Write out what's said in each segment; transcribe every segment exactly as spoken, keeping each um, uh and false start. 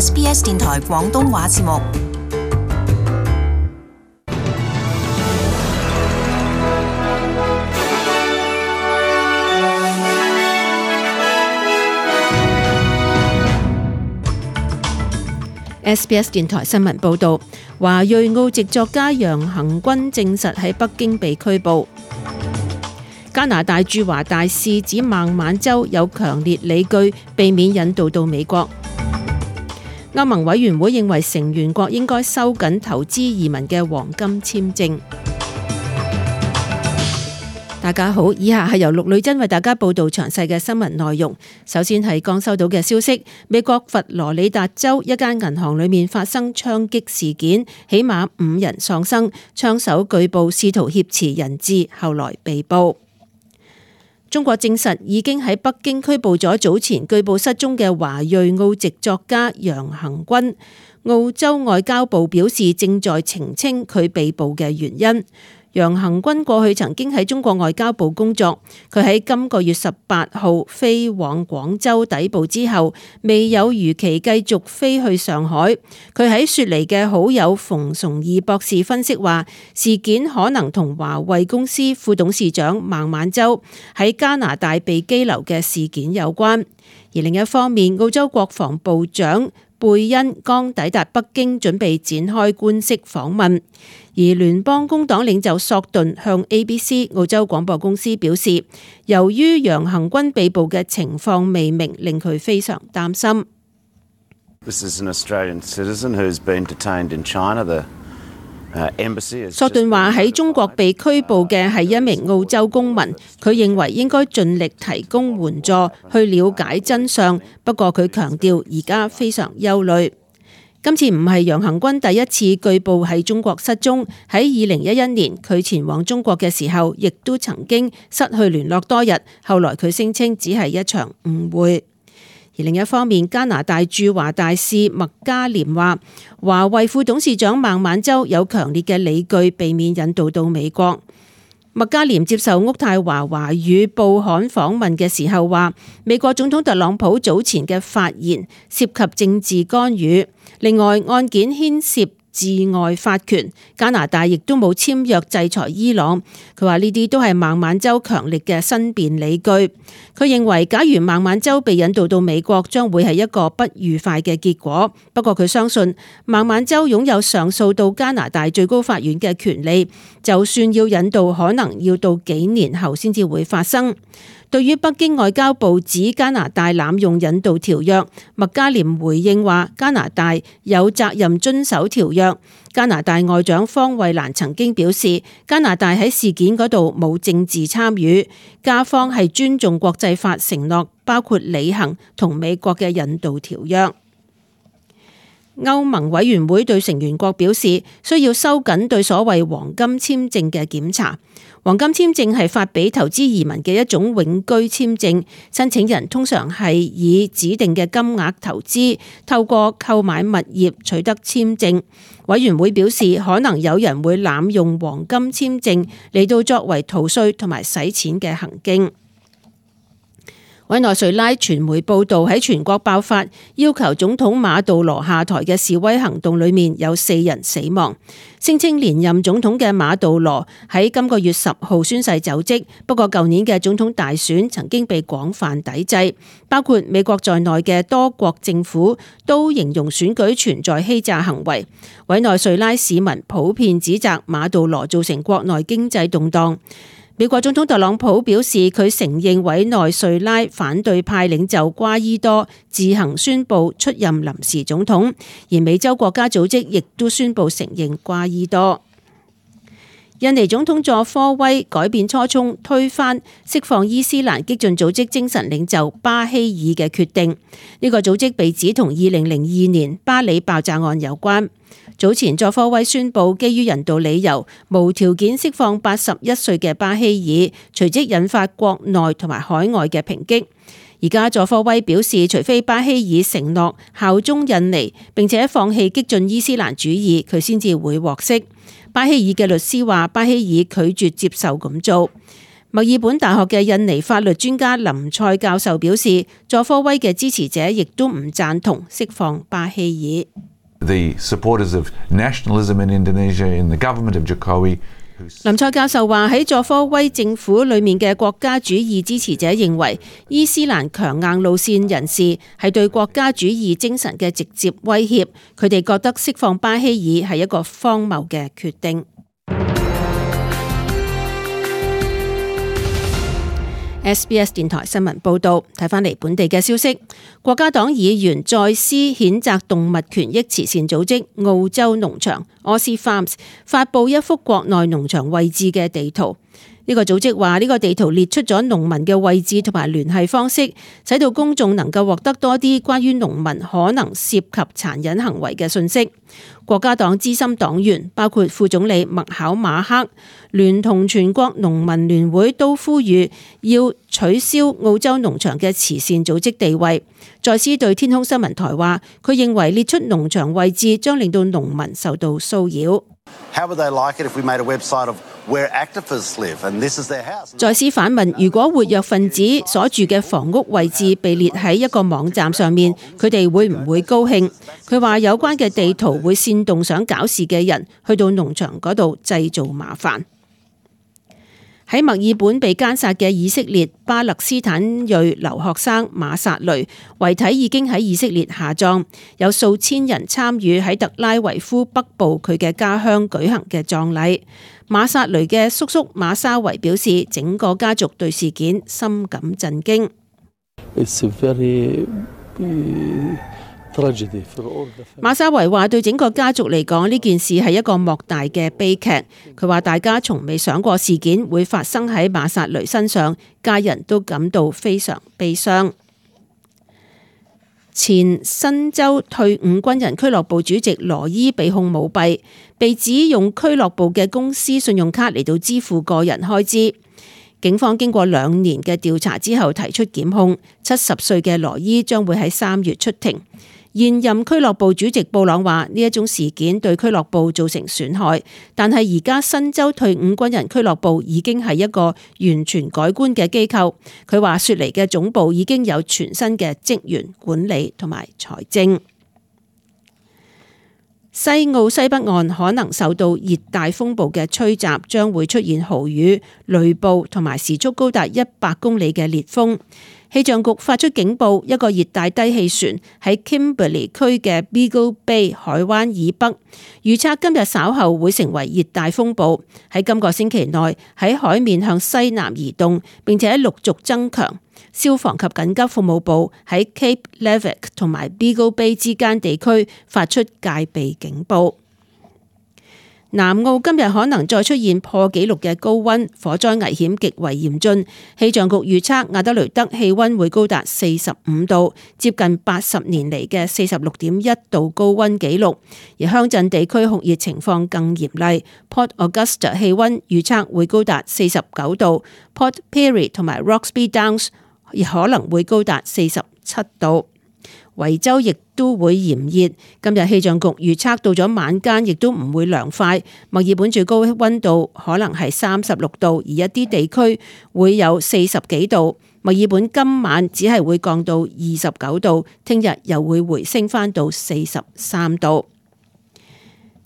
S B S 電台廣東話節目。S B S 電台新聞報導，華裔澳籍作家楊恆均證實喺北京被拘捕。加拿大駐華大使指孟晚舟有強烈理據避免引渡到美國。歐盟委員會認為成員國應該收緊投資移民嘅黃金簽證。大家好，以下係由陸女珍為大家報道詳細嘅新聞內容。首先係剛收到嘅消息，美國佛羅里達州一間銀行裏面發生槍擊事件，起碼五人喪生，槍手據報試圖挾持人質，後來被捕。中國證實已經喺北京拘捕咗早前據報失蹤嘅華裔澳籍作家楊恆均。澳洲外交部表示正在澄清佢被捕嘅原因。楊恆均過去曾經喺中國外交部工作，佢喺今個月十八號飛往廣州抵埗之後，未有如期繼續飛去上海。佢喺雪梨嘅好友馮崇義博士分析話，事件可能同華為公司副董事長孟晚舟喺加拿大被羈留嘅事件有關。而另一方面，澳洲國防部長貝恩剛抵達北京，準備展開官式訪問。而聯邦工黨領袖索頓向 A B C 澳洲廣播公司表示，由於楊恆均被捕嘅情況未明，令佢非常擔心。This is an Australian citizen who has been detained in China. The embassy. 索頓話喺中國被拘捕嘅係一名澳洲公民，佢認為應該盡力提供援助去了解真相。不過佢強調而家非常憂慮。今次唔係楊恆均第一次據報喺中國失蹤，喺二零一一年佢前往中國嘅時候，亦都曾經失去聯絡多日。後來佢聲稱只係一場誤會。而另一方面，加拿大駐華大使麥嘉廉話，華為副董事長孟晚舟有強烈嘅理據避免引渡到美國。麥嘉廉接受渥太華華語報刊訪問嘅時候話，美國總統特朗普早前嘅發言涉及政治干預。另外，案件牽涉治外法權，加拿大亦都冇簽約制裁伊朗。佢話呢啲都係孟晚舟強力嘅申辯理據。佢認為假如孟晚舟被引渡到美國，將會係一個不愉快嘅結果。不過佢相信孟晚舟擁有上訴到加拿大最高法院嘅權利，就算要引渡，可能要到幾年後先至會發生。對於北京外交部指加拿大濫用引渡條約，麥嘉廉回應話加拿大有責任遵守條約。加拿大外長方慧蘭曾經表示，加拿大喺事件嗰度冇政治參與，加方係尊重國際法承諾，包括履行同美國嘅引渡條約。歐盟委員會對成員國表示，需要收緊對所謂黃金簽證嘅檢查。黃金簽證係發俾投資移民嘅一種永居簽證，申請人通常係以指定嘅金額投資，透過購買物業取得簽證。委員會表示，可能有人會濫用黃金簽證嚟到作為逃稅同埋洗錢嘅行徑。委內瑞拉傳媒報道，喺全國爆發要求總統馬杜羅下台嘅示威行動裏面，有四人死亡。聲稱連任總統嘅馬杜羅喺今個月十號宣誓就職，不過舊年嘅總統大選曾經被廣泛抵制，包括美國在內嘅多國政府都形容選舉存在欺詐行為。委內瑞拉市民普遍指責馬杜羅造成國內經濟動盪。美國總統特朗普表示，佢承認委內瑞拉反對派領袖瓜伊多自行宣布出任臨時總統，而美洲國家組織亦都宣布承認瓜伊多。印尼總統佐科威改變初衷，推翻釋放伊斯蘭激進組織精神領袖巴希爾嘅決定。呢個組織被指同二零零二年巴里爆炸案有關。早前佐科威宣布基於人道理由，無條件釋放八十一歲嘅巴希爾，隨即引發國內同埋海外嘅抨擊。而家佐科威表示，除非巴希爾承諾效忠印尼，並且放棄激進伊斯蘭主義，佢先至會獲釋。巴希爾嘅律師話，巴希爾拒絕接受咁做。墨爾本大學嘅印尼法律專家林賽教授表示，佐科威嘅支持者亦都唔贊同釋放巴希爾。The supporters of nationalism in Indonesia, in the government of Jokowi. 林賽教授話喺佐科威政府裏面嘅國家主義支持者認為，伊斯蘭強硬路線人士係對國家主義精神嘅直接威脅，佢哋覺得釋放巴希爾係一個荒謬嘅決定。S B S 電台新聞報道，睇返嚟本地嘅消息，國家黨議員再思譴責動物權益慈善組織澳洲農場 Aussie Farms 發布一幅國內農場位置嘅地圖。呢個組織話，呢個地圖列出咗農民嘅位置同埋聯繫方式，使到公眾能夠獲得多啲關於農民可能涉及殘忍行為嘅信息。國家黨資深黨員包括副總理麥考馬克，聯同全國農民聯會都呼籲要取消澳洲農場嘅慈善組織地位。再思對天空新聞台話，佢認為列出農場位置將令到農民受到騷擾。再思反問，如果活躍分子所住嘅房屋位置被列喺一個網站上面，佢哋會唔會高興？佢話有關嘅地圖會煽動想搞事嘅人去到農場嗰度製造麻煩。喺墨爾本被姦殺嘅以色列巴勒斯坦裔留學生馬薩雷遺體已經喺以色列下葬，有數千人參與喺特拉維夫北部佢嘅家鄉舉行嘅葬禮。馬薩雷嘅叔叔馬沙維表示，整個家族對事件深感震驚。It's a very,馬沙維話：對整個家族嚟講，呢件事係一個莫大嘅悲劇。佢話大家從未想過事件會發生喺馬薩雷身上，家人都感到非常悲傷。前新州退伍軍人俱樂部主席羅伊被控舞弊，被指用俱樂部嘅公司信用卡嚟到支付個人開支。警方經過兩年嘅調查之後提出檢控。七十歲嘅羅伊將會喺三月出庭。現任俱樂部主席布朗話：呢一種事件對俱樂部造成損害，但係而家新州退伍軍人俱樂部已經係一個完全改觀嘅機構。佢話雪梨嘅總部已經有全新嘅職員管理同埋財政。西澳西北岸可能受到熱帶風暴嘅吹襲，將會出現豪雨、雷暴同埋時速高達一百公里嘅烈風。氣象局發出警報，一個熱帶低氣旋喺 Kimberley 區嘅 Beagle Bay 海灣以北，預測今日稍後會成為熱帶風暴，喺今個星期內喺海面向西南移動，並且陸續增強。消防及緊急服務部喺 Cape Leveque 同埋 Beagle Bay 之間地區發出戒備警報。南澳今日可能再出現破紀錄嘅高溫，火災危險極為嚴峻。氣象局預測亞德雷德氣溫會高達四十五度，接近八十年嚟嘅四十六點一度高溫紀錄。而鄉鎮地區酷熱情況更嚴厲。Port Augusta 氣溫預測會高達四十九度 ，Port Pirie 同埋 Roxby Downs 亦可能會高達四十七度。維州亦都會炎熱，今日氣象局預測到咗晚間亦都唔會涼快。墨爾本最高溫度可能係三十六度，而一啲地區會有四十幾度。墨爾本今晚只係會降到二十九度，聽日又會回升返到四十三度。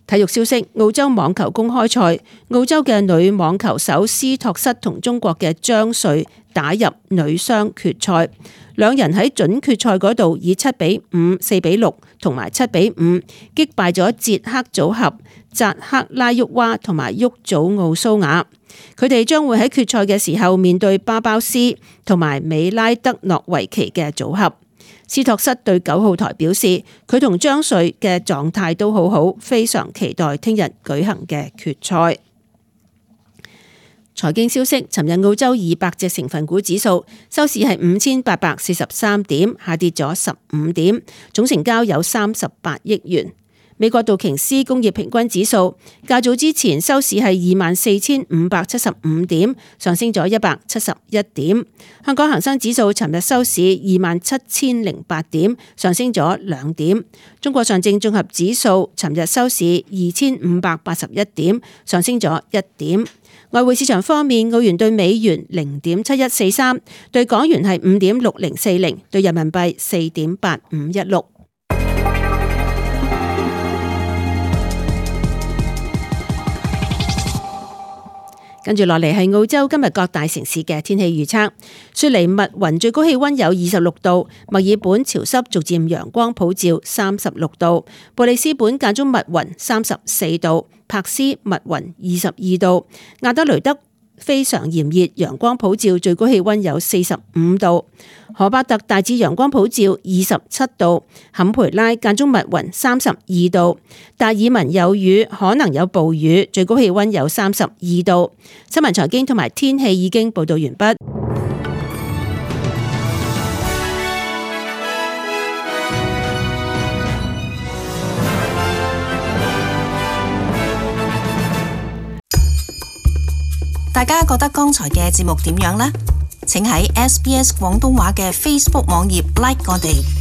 體育消息：澳洲網球公開賽，澳洲嘅女網球手斯托瑟同中國嘅張瑞打入女雙決賽，兩人喺準決賽嗰度以七比五、四比六同埋七比五擊敗咗捷克組合扎克拉沃娃同埋沃祖奧蘇雅。佢哋將會喺決賽嘅時候面對巴包斯同埋美拉德諾維奇嘅組合。斯托瑟對九號台表示，佢同張瑞嘅狀態都好好，非常期待聽日舉行嘅決賽。財經消息：尋日澳洲二百隻成分股指數收市係五千八百四十三點，下跌咗十五點，總成交有三十八億元。美國道瓊斯工業平均指數較早之前收市係二萬四千五百七十五點，上升咗一百七十一點。香港恒生指數尋日收市二萬七千零八點，上升咗兩點。中國上證綜合指數尋日收市二千五百八十一點，上升咗一點。外匯市場方面，澳元對美元零點七一四三，對港元係五點六零四零，對人民幣四點八五一六。跟住落嚟係澳洲今日各大城市嘅天氣預測。雪梨密雲最高氣溫有二十六度，墨爾本潮濕逐漸陽光普照三十六度，布里斯本間中密雲三十四度，柏斯密雲二十二度，亞德雷德非常炎熱，陽光普照，最高氣溫有四十五度。荷伯特大致陽光普照，二十七度。坎培拉間中密雲，三十二度。達爾文有雨，可能有暴雨，最高氣溫有三十二度。新聞財經同埋天氣已經報道完畢。大家覺得剛才嘅節目點樣呢？請喺 S B S 廣東話嘅 Facebook 網頁 like 我哋。